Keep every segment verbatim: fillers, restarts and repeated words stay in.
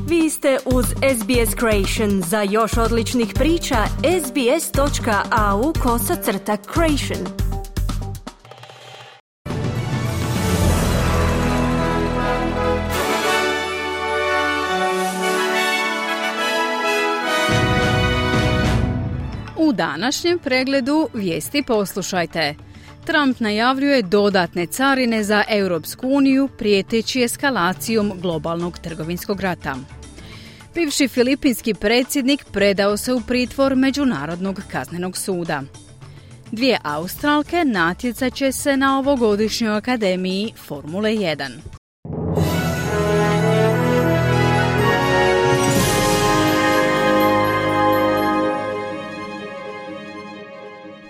Vi ste uz S B S Creation. Za još odličnih priča, sbs.au kosacrta creation. U današnjem pregledu vijesti poslušajte. Trump najavljuje dodatne carine za Europsku uniju prijeteći eskalacijom globalnog trgovinskog rata. Bivši filipinski predsjednik predao se u pritvor Međunarodnog kaznenog suda. Dvije Australke natjecat će se na ovogodišnjoj akademiji Formule jedan.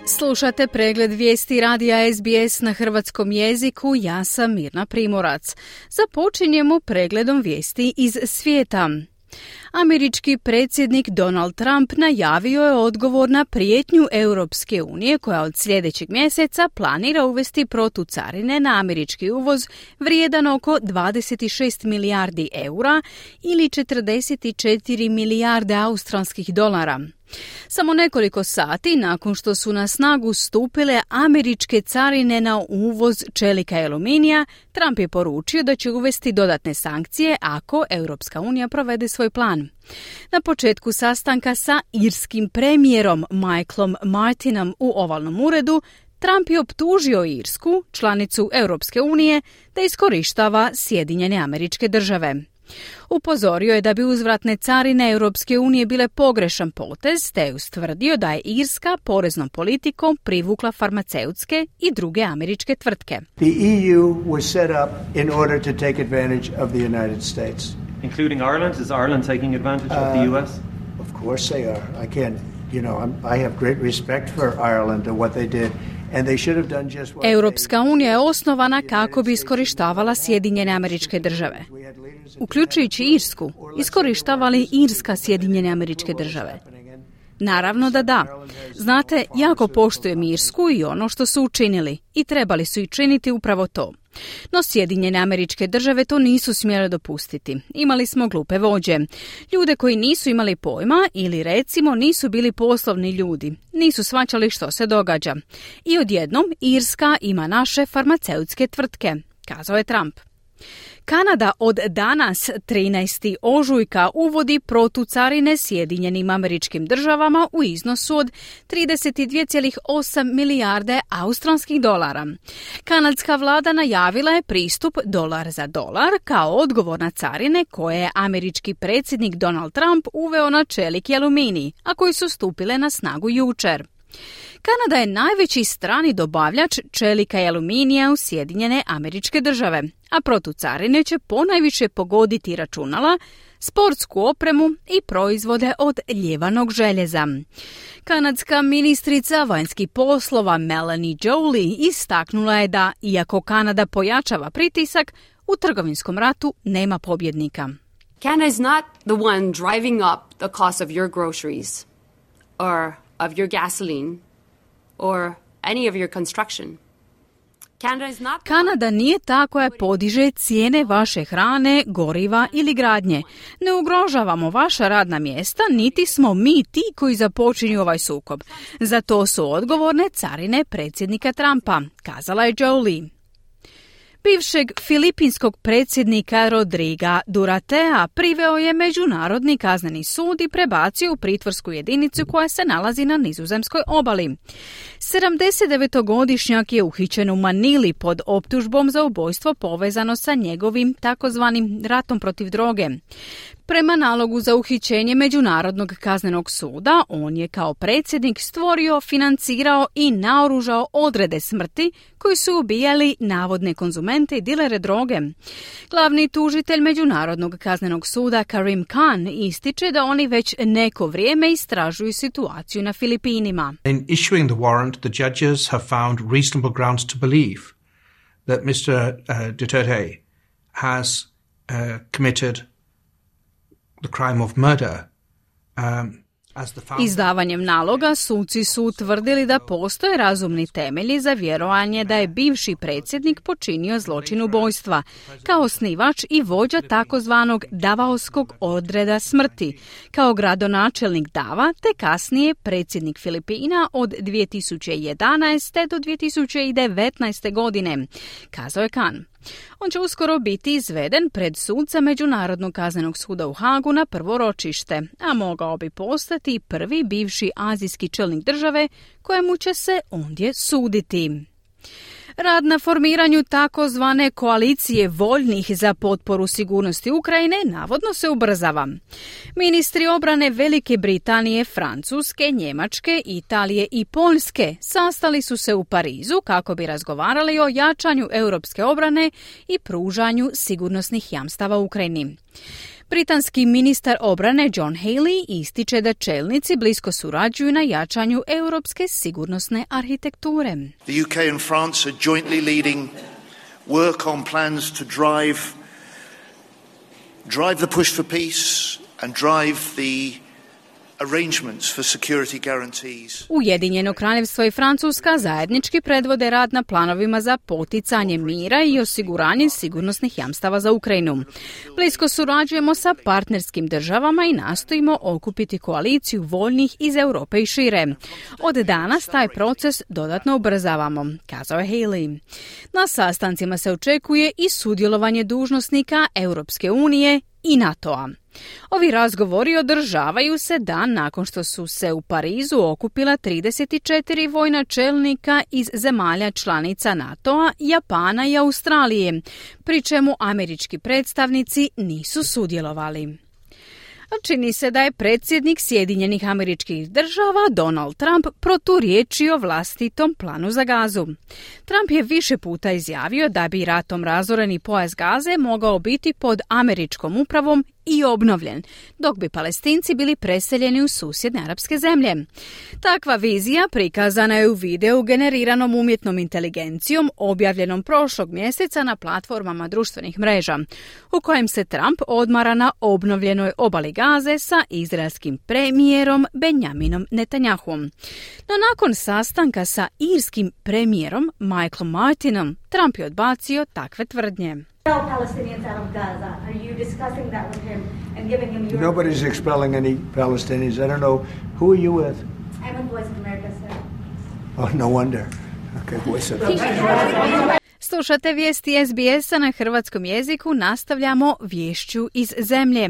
Slušate pregled vijesti radija S B S na hrvatskom jeziku, ja sam Mirna Primorac. Započinjemo pregledom vijesti iz svijeta. Američki predsjednik Donald Trump najavio je odgovor na prijetnju Europske unije koja od sljedećeg mjeseca planira uvesti protucarine na američki uvoz vrijedan oko dvadeset šest milijardi eura ili četrdeset četiri milijarde australskih dolara. Samo nekoliko sati nakon što su na snagu stupile američke carine na uvoz čelika i aluminija, Trump je poručio da će uvesti dodatne sankcije ako Europska unija provede svoj plan. Na početku sastanka sa irskim premijerom Michaelom Martinom u ovalnom uredu, Trump je optužio Irsku, članicu Europske unije, da iskorištava Sjedinjene Američke Države. Upozorio je da bi uzvratne carine Europske unije bile pogrešan potez, te je ustvrdio da je Irska poreznom politikom privukla farmaceutske i druge američke tvrtke. The E U was set up in order to take advantage of the United States. Including Ireland? Is Ireland taking advantage uh, of the U S? Of course they are. I can't, you know, I'm, I have great respect for Ireland and what they did. Europska unija je osnovana kako bi iskorištavala Sjedinjene Američke Države. Uključujući Irsku, iskorištavali Irska Sjedinjene Američke Države. Naravno da da. Znate, jako poštujem Irsku i ono što su učinili i trebali su i činiti upravo to. No Sjedinjene Američke Države to nisu smjele dopustiti. Imali smo glupe vođe. Ljude koji nisu imali pojma ili recimo nisu bili poslovni ljudi. Nisu shvaćali što se događa. I odjednom Irska ima naše farmaceutske tvrtke, kazao je Trump. Kanada od danas, trinaestog ožujka, uvodi protucarine Sjedinjenim Američkim Državama u iznosu od trideset dva zarez osam milijarde australskih dolara. Kanadska vlada najavila je pristup dolar za dolar kao odgovor na carine koje je američki predsjednik Donald Trump uveo na čelik i aluminij, a koji su stupile na snagu jučer. Kanada je najveći strani dobavljač čelika i aluminija u Sjedinjene Američke Države, a protucarine će ponajviše pogoditi računala, sportsku opremu i proizvode od ljevanog željeza. Kanadska ministrica vanjskih poslova Melanie Joly istaknula je da, iako Kanada pojačava pritisak, u trgovinskom ratu nema pobjednika. Canada is not the one driving up the cost of your groceries or of your gasoline or any of your construction. Kanada nije ta koja podiže cijene vaše hrane, goriva ili gradnje. Ne ugrožavamo vaša radna mjesta, niti smo mi ti koji započinju ovaj sukob. Za to su odgovorne carine predsjednika Trumpa, kazala je Joly. Bivšeg filipinskog predsjednika Rodriga Duratea priveo je Međunarodni kazneni sud i prebacio u pritvorsku jedinicu koja se nalazi na nizozemskoj obali. sedamdesetdevetogodišnjak je uhićen u Manili pod optužbom za ubojstvo povezano sa njegovim takozvanim ratom protiv droge. Prema nalogu za uhićenje Međunarodnog kaznenog suda, on je kao predsjednik stvorio, financirao i naoružao odrede smrti koji su ubijali navodne konzumente i dilere droge. Glavni tužitelj Međunarodnog kaznenog suda Karim Khan ističe da oni već neko vrijeme istražuju situaciju na Filipinima. In issuing the warrant, the judges have found reasonable grounds to believe that mister Uh, Duterte has uh, committed the crime of murder. Um, Izdavanjem naloga suci su utvrdili da postoje razumni temelji za vjerovanje da je bivši predsjednik počinio zločin ubojstva, kao osnivač i vođa takozvanog Davaoskog odreda smrti, kao gradonačelnik Dava te kasnije predsjednik Filipina od dvije tisuće jedanaeste do dvije tisuće devetnaeste godine, kazao je Khan. On će uskoro biti izveden pred suca Međunarodnog kaznenog suda u Hagu na prvo ročište, a mogao bi postati prvi bivši azijski čelnik države kojemu će se ondje suditi. Rad na formiranju takozvane koalicije voljnih za potporu sigurnosti Ukrajine navodno se ubrzava. Ministri obrane Velike Britanije, Francuske, Njemačke, Italije i Poljske sastali su se u Parizu kako bi razgovarali o jačanju europske obrane i pružanju sigurnosnih jamstava Ukrajini. Britanski ministar obrane John Healey ističe da čelnici blisko surađuju na jačanju europske sigurnosne arhitekture. The U K and France are jointly leading work on plans to drive drive the push for peace and drive the arrangements for security guarantees. Ujedinjeno kraljevstvo i Francuska zajednički predvode rad na planovima za poticanje mira i osiguranje sigurnosnih jamstava za Ukrajinu. Blisko surađujemo sa partnerskim državama i nastojimo okupiti koaliciju voljnih iz Europe i šire. Od danas taj proces dodatno ubrzavamo, kazao je Haley. Na sastancima se očekuje i sudjelovanje dužnosnika Europske unije i NATO-a. Ovi razgovori održavaju se dan nakon što su se u Parizu okupila trideset četiri vojna čelnika iz zemalja članica NATO-a, Japana i Australije, pri čemu američki predstavnici nisu sudjelovali. Čini se da je predsjednik Sjedinjenih Američkih Država Donald Trump proturječio vlastitom planu za Gazu. Trump je više puta izjavio da bi ratom razoreni pojas Gaze mogao biti pod američkom upravom i obnovljen, dok bi Palestinci bili preseljeni u susjedne arapske zemlje. Takva vizija prikazana je u videu generiranom umjetnom inteligencijom objavljenom prošlog mjeseca na platformama društvenih mreža, u kojem se Trump odmara na obnovljenoj obali Gaze sa izraelskim premijerom Benjaminom Netanjahuom. No nakon sastanka sa irskim premijerom Michaelom Martinom, Trump je odbacio takve tvrdnje. Palestinians out of Gaza. Are you discussing that with him and giving him your... Nobody's expelling any Palestinians. I don't know. Who are you with? I'm with Voice of America, sir. Oh, no wonder. Okay, Voice of America. Slušate vijesti S B S-a na hrvatskom jeziku, nastavljamo viješću iz zemlje.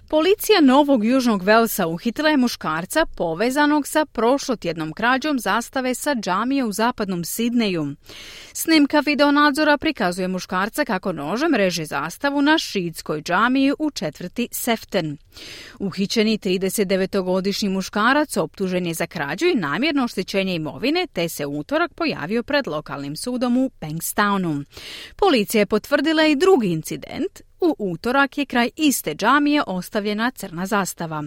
Policija Novog Južnog Velsa uhitila je muškarca povezanog sa prošlotjednom krađom zastave sa džamije u zapadnom Sidneju. Snimka videonadzora prikazuje muškarca kako nožem reže zastavu na šiitskoj džamiji u četvrti Seften. Uhićeni tridesetdevetogodišnji muškarac optužen je za krađu i namjerno oštećenje imovine, te se u utorak pojavio pred lokalnim sudom u Bankstownu. Policija je potvrdila i drugi incident. U utorak je kraj iste džamije ostavljena crna zastava.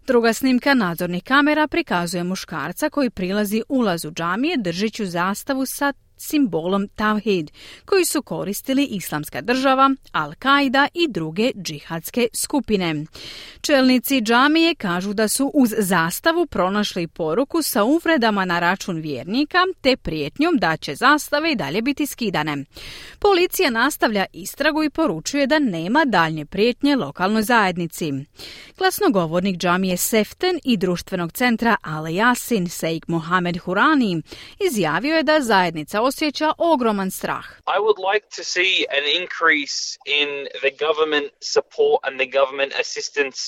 Druga snimka nadzornih kamera prikazuje muškarca koji prilazi ulazu džamije držeći zastavu sa simbolom Tawhid, koji su koristili Islamska država, Al-Qaida i druge džihadske skupine. Čelnici džamije kažu da su uz zastavu pronašli poruku sa uvredama na račun vjernika te prijetnjom da će zastave i dalje biti skidane. Policija nastavlja istragu i poručuje da nema daljnje prijetnje lokalnoj zajednici. Glasnogovornik džamije Seften i društvenog centra Al Yasin Sheikh Mohamed Hurani izjavio je da zajednica osjeća ogroman strah. I would like to see an increase in the government support and the government assistance,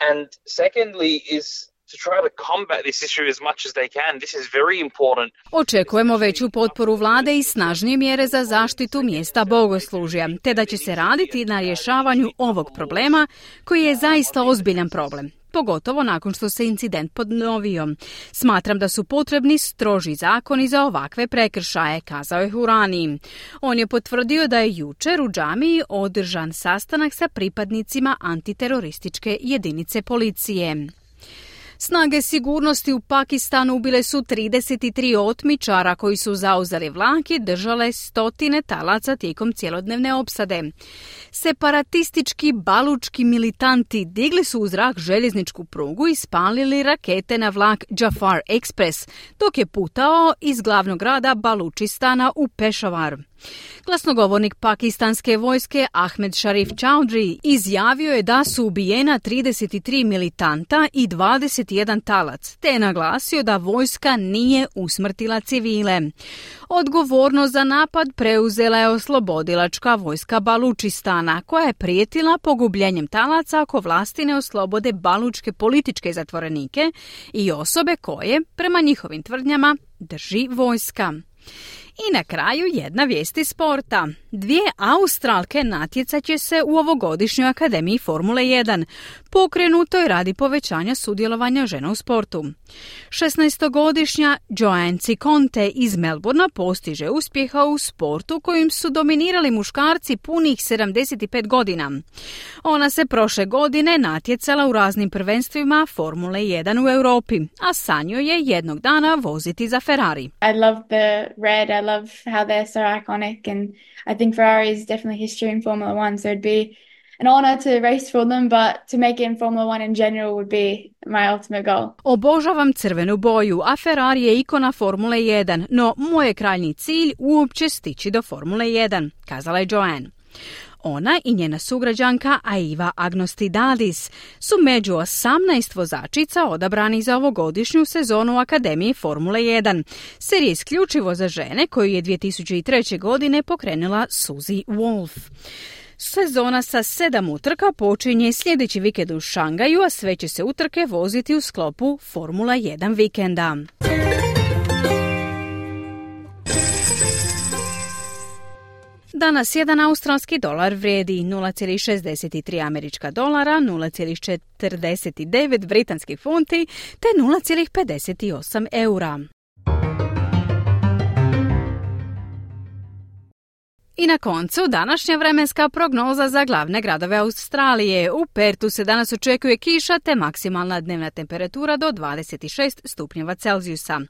and secondly is to try to combat this issue as much as they can. This is very important. Očekujemo veću potporu vlade i snažnije mjere za zaštitu mjesta bogoslužja, te da će se raditi na rješavanju ovog problema koji je zaista ozbiljan problem. Pogotovo nakon što se incident ponovio. Smatram da su potrebni stroži zakoni za ovakve prekršaje, kazao je Hurani. On je potvrdio da je jučer u džamiji održan sastanak sa pripadnicima antiterorističke jedinice policije. Snage sigurnosti u Pakistanu ubile su trideset tri otmičara koji su zauzeli vlak i držale stotine talaca tijekom cjelodnevne opsade. Separatistički balučki militanti digli su u zrak željezničku prugu i spalili rakete na vlak Jafar Express, dok je putao iz glavnog grada Balučistana u Pešavar. Glasnogovornik pakistanske vojske Ahmed Sharif Chaudhry izjavio je da su ubijena trideset tri militanta i dvadeset jedan talac, te je naglasio da vojska nije usmrtila civile. Odgovornost za napad preuzela je oslobodilačka vojska Balučistana, koja je prijetila pogubljenjem talaca ako vlasti ne oslobode balučke političke zatvorenike i osobe koje, prema njihovim tvrdnjama, drži vojska. I na kraju jedna vijest iz sporta. Dvije Australke natjecat će se u ovogodišnjoj Akademiji Formule jedan, pokrenutoj radi povećanja sudjelovanja žena u sportu. šesnaestogodišnja Joanne Ciconte iz Melbourna postiže uspjeha u sportu kojim su dominirali muškarci punih sedamdeset pet godina. Ona se prošle godine natjecala u raznim prvenstvima Formule jedan u Europi, a sanjao je jednog dana voziti za Ferrari. I love the red, I love how they're so iconic, and I think Ferrari is definitely history in Formula One, so it'd be an honor to race for them, but to make it in Formula One in general would be my ultimate goal. Obožavam crvenu boju, a Ferrari je ikona Formule jedan, no moj je krajnji cilj uopće stići do Formule jedan, kazala je Joanne. Ona i njena sugrađanka Aiva Agnostidadis su među osamnaest vozačica odabrani za ovogodišnju sezonu Akademije Formule jedan, serije isključivo za žene koju je dvije tisuće treće. godine pokrenula Suzy Wolf. Sezona sa sedam utrka počinje sljedeći vikend u Šangaju, a sve će se utrke voziti u sklopu Formula jedan vikenda. Danas jedan australski dolar vrijedi nula zarez šezdeset tri američka dolara, nula zarez četrdeset devet britanskih funti te nula zarez pedeset osam eura. I na koncu današnja vremenska prognoza za glavne gradove Australije. U Pertu se danas očekuje kiša te maksimalna dnevna temperatura do dvadeset šest stupnjeva Celzijusa.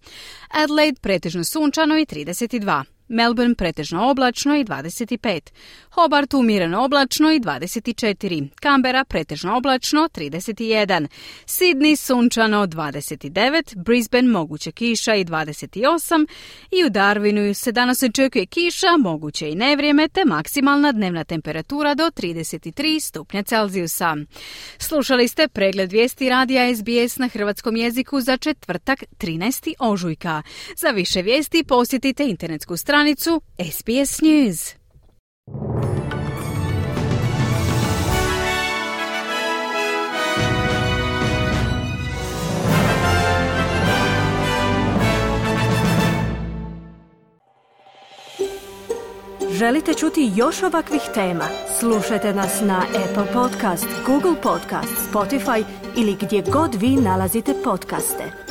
Adelaide pretežno sunčano i trideset dva. Melbourne pretežno oblačno i dvadeset pet. Hobart umjereno oblačno i dvadeset četiri. Canberra pretežno oblačno trideset jedan. Sydney sunčano dvadeset devet. Brisbane moguće kiša i dvadeset osam. I u Darwinu se danas očekuje kiša, moguće i nevrijeme te maksimalna dnevna temperatura do trideset tri stupnja Celzijusa. Slušali ste pregled vijesti radija S B S na hrvatskom jeziku za četvrtak trinaestog ožujka. Za više vijesti posjetite internetsku stranicu stranicu S B S News. Želite čuti još ovakvih tema? Slušajte nas na Apple Podcast, Google Podcast, Spotify ili gdje god vi nalazite podcaste.